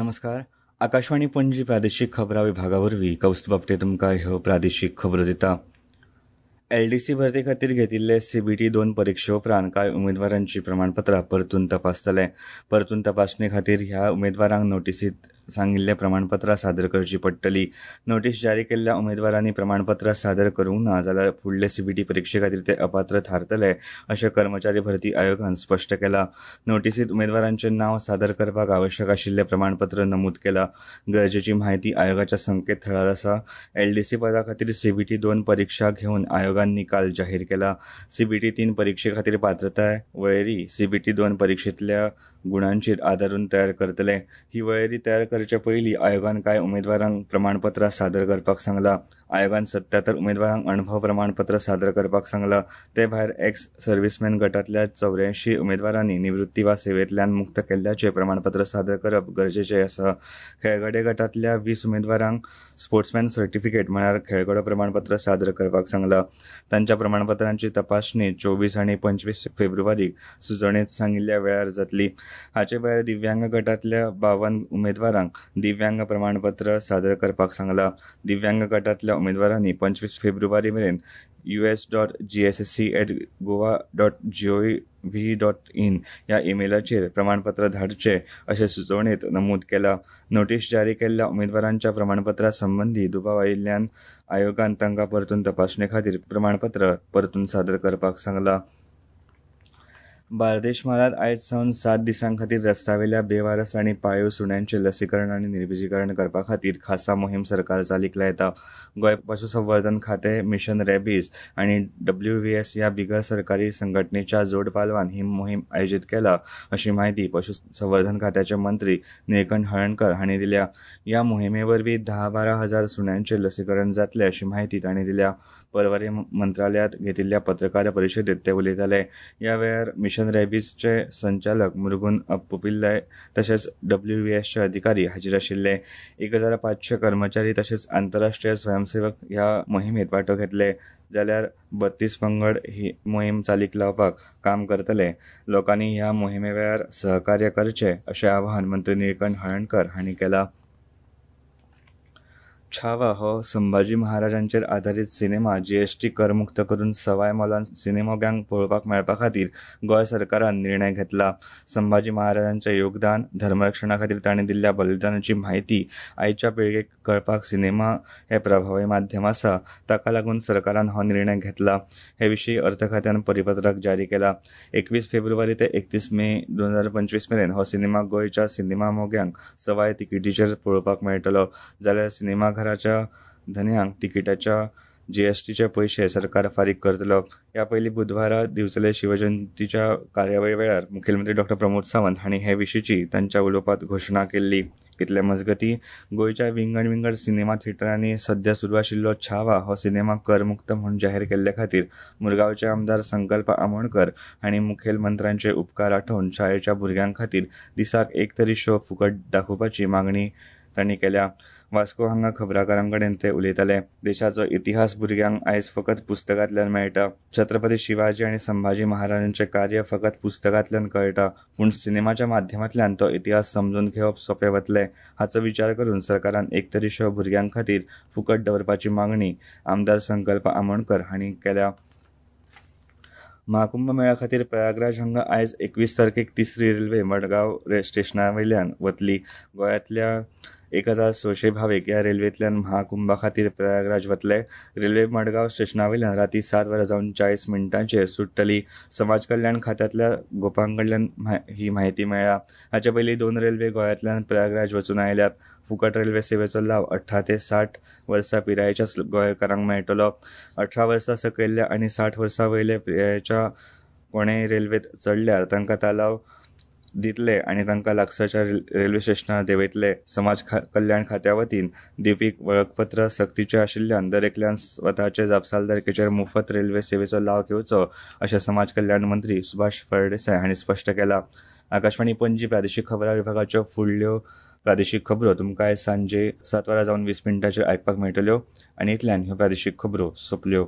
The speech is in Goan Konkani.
नमस्कार, आकाशवाणी पणजी प्रादेशीक खबरां विभागा वरवीं कौस्तुभ आपटे तुमकां ह्यो प्रादेशीक खबरो दिता. एलडीसी भरती खातीर घेतिल्ले सीबीटी 2 परिक्षे उपरांत कांय उमेदवारांची प्रमाणपत्रां परतून तपासतले. परतून तपासणे खातीर ह्या उमेदवारांक नोटीसीत सांगिल्ले प्रमाणपत्रां सादर करची पडटली. नोटीस जारी केल्ल्या उमेदवारांनी प्रमाणपत्रां सादर करूंक ना जाल्यार फुडले सीबीटी परिक्षे खातीर ते अपात्र थारतले अशें कर्मचारी भरती आयोगान स्पश्ट केलां. नोटीसीत उमेदवारांचें नांव सादर करपाक आवश्यक आशिल्लें प्रमाणपत्र नमूद केलां. गरजेची म्हायती आयोगाच्या संकेतथळार आसा. एलडीसी पदा खातीर सीबीटी 2 परिक्षा घेवन आयोगान निकाल जाहीर केला. सीबीटी 3 परिक्षे खातीर पात्रताय वळेरी सीबीटी 2 परिक्षेंतल्या गुणांचेर आदारून तयार करतले. ही वळेरी तयार करचे पयलीं आयोगान कांय उमेदवारांक प्रमाणपत्रां सादर करपाक सांगलां. आयोगान 77 उमेदवारांक अणभव प्रमाणपत्र सादर करपाक सांगलां. ते भायर एक्स सर्व्हिसमॅन गटांतल्या 84 उमेदवारांनी निवृत्ती वा सेवेंतल्यान मुक्त केल्ल्याचें प्रमाणपत्र सादर करप गरजेचें आसा. खेळगडे गटांतल्या 20 उमेदवारांक स्पोर्ट्समॅन सर्टिफिकेट म्हळ्यार खेळगडो प्रमाणपत्र सादर करपाक सांगलां. तांच्या प्रमाणपत्रांची तपासणी 24 आनी 25 फेब्रुवारीक सुचोवणेंत सांगिल्ल्या वेळार जातली. हाचे भायर दिव्यांग गटांतल्या 52 उमेदवारांक दिव्यांग प्रमाणपत्र सादर करपाक सांगलां. दिव्यांग गटांतल्या उमेदवारांनी 25 फेब्रुवारी मेरेन us.gssc@goa.gov.in ह्या ईमेलाचेर प्रमाणपत्र धाडचें अशें सुचोवणेंत नमूद केलां. नोटीस जारी केल्ल्या उमेदवारांच्या प्रमाणपत्रा संबंदी दुबाव आयिल्ल्यान आयोगान तांकां परतून तपासणे खातीर प्रमाणपत्र परतून सादर करपाक सांगलां. बार्देश म्हालांत आयज सावन 7 दिसां खातीर रस्त्यावेल्या बेवारस आनी पाळीव सुण्यांचें लसीकरण आनी निर्बिजीकरण करपा खातीर खासा मोहीम सरकार चालीक लायता. गोंय पशुसंवर्धन खातें, मिशन रॅबीज आनी डब्ल्यूव्हीएस ह्या बिगर सरकारी संघटनेच्या जोड पालवान ही मोहीम आयोजीत केला अशी म्हायती पशुसंवर्धन खात्याचे मंत्री निळकंठ हळर्णकर हांणी दिल्या. ह्या मोहिमे वरवीं 10-12 हजार सुण्यांचें लसीकरण जातलें अशी म्हायती तांणी दिल्या. परवरी मंत्रालयांत घेतिल्ल्या पत्रकार परिशदेंत ते उलयताले. ह्या वेळार मिशन रॅबीजचे संचालक मुरुगन अप्पुपिल्लय तशेंच डब्ल्यूव्हीएसचे अधिकारी हाजीर आशिल्ले. 1500 कर्मचारी तशेंच आंतरराष्ट्रीय स्वयंसेवक ह्या मोहिमेंत वांटो घेतले. जाल्यार 32 पंगड ही मोहीम चालीक लावपाक काम करतले. लोकांनी ह्या मोहिमे वेळार सहकार्य करचें अशें आवाहन मंत्री निळकंठ हळर्णकर हांणी केलां. छावा हो संभाजी महाराजांचेर आधारीत सिनेमा जीएसटी करमुक्त करून सवाय मोलान सिनेमोग्यांक पळोवपाक मेळपा खातीर गोंय सरकारान निर्णय घेतला. संभाजी महाराजांचें योगदान, धर्मरक्षणा खातीर तांणी दिल्ल्या बलिदानाची म्हायती आयच्या पिळगेक कळपाक सिनेमा हें प्रभावी माध्यम आसा. ताका लागून सरकारान हो निर्णय घेतला. हे विशीं अर्थ खात्यान परिपत्रक जारी केला. 21 फेब्रुवारी ते 31 मे 2025 मेरेन हो सिनेमा गोंयच्या सिनेमा मोग्यांक सवाय तिकेटीचेर पळोवपाक मेळटलो. जाल्यार सिनेमा घराच्या धनयांक तिकिटाच्या जीएसटीचे पयशे सरकार फारीक करतलो. ह्या पयलीं बुधवारा दिवचले शिवजयंतीच्या कार्यावळी वेळार मुखेलमंत्री डॉ प्रमोद सावंत हांणी हे विशींची तांच्या उलोवपांत घोशणा केल्ली. इतले मजगतीं गोंयच्या विंगड विंगड सिनेमा थिएटरांनी सध्या सुरू आशिल्लो छावा हो सिनेमा करमुक्त म्हूण जाहीर केल्ले खातीर मुरगांवचे आमदार संकल्प आमोणकर हांणी मुखेलमंत्र्यांचे उपकार आठोवन शाळेच्या भुरग्यां खातीर दिसाक एक तरी शो फुकट दाखोवपाची मागणी तांणी केल्या. वास्को हांगा खबराकारां कडेन ते उलयताले. देशाचो इतिहास भुरग्यांक आयज फकत पुस्तकांतल्यान मेळटा. छत्रपती शिवाजी आनी संभाजी महाराजांचें कार्य फकत पुस्तकांतल्यान कळटा, पूण सिनेमाच्या माध्यमांतल्यान तो इतिहास समजून घेवप सोंपें वतलें हाचो विचार करून सरकारान एक तरी शो भुरग्यां खातीर फुकट दवरपाची मागणी आमदार संकल्प आमोणकर हांणी केल्या. महाकुंभ मेळ्या खातीर प्रयागराज हांगा आयज 21 तारखेक तिसरी रेल्वे मडगांव स्टेशना वयल्यान वतली. गोंयांतल्या 1600 भावीक ह्या रेल्वेंतल्यान महाकुंभा खातीर प्रयागराज वतले. रेल्वे मडगांव स्टेशना वयल्यान राती 7:40 सुट्टली. समाज कल्याण खात्यांतल्या गोपां कडल्यान ही म्हायती मेळ्ळ्या. हाचे पयलीं 2 रेल्वे गोंयांतल्यान प्रयागराज वचून आयल्यात. फुकट रेल्वे सेवेचो लाव 18 ते 60 वर्सां पिरायेच्या गोंयकारांक मेळटलो. 18 वर्सां सकयल्ल्या आनी 60 वर्सां वयल्या पिरायेच्या कोणेय रेल्वेंत चडल्यार तांकां तालाव दितले आनी तांकां लागसारच्या रेल्वे स्टेशनार देंवयतले. समाज कल्याण खात्या वतीन दिवपी वळखपत्र सक्तीचें आशिल्ल्यान दरेकल्यान स्वताचे जापसालदारकेचेर मुफत रेल्वे सेवेचो लाव घेवचो अशें समाज कल्याण मंत्री सुभाष फळदेसाय हांणी स्पश्ट केलां. आकाशवाणी पणजी प्रादेशीक खबरां विभागाच्यो फुडल्यो प्रादेशीक खबरो तुमकां आयज सांजे 7:20 आयकपाक मेळटल्यो. आनी इतल्यान ह्यो प्रादेशीक खबरो सोंपल्यो.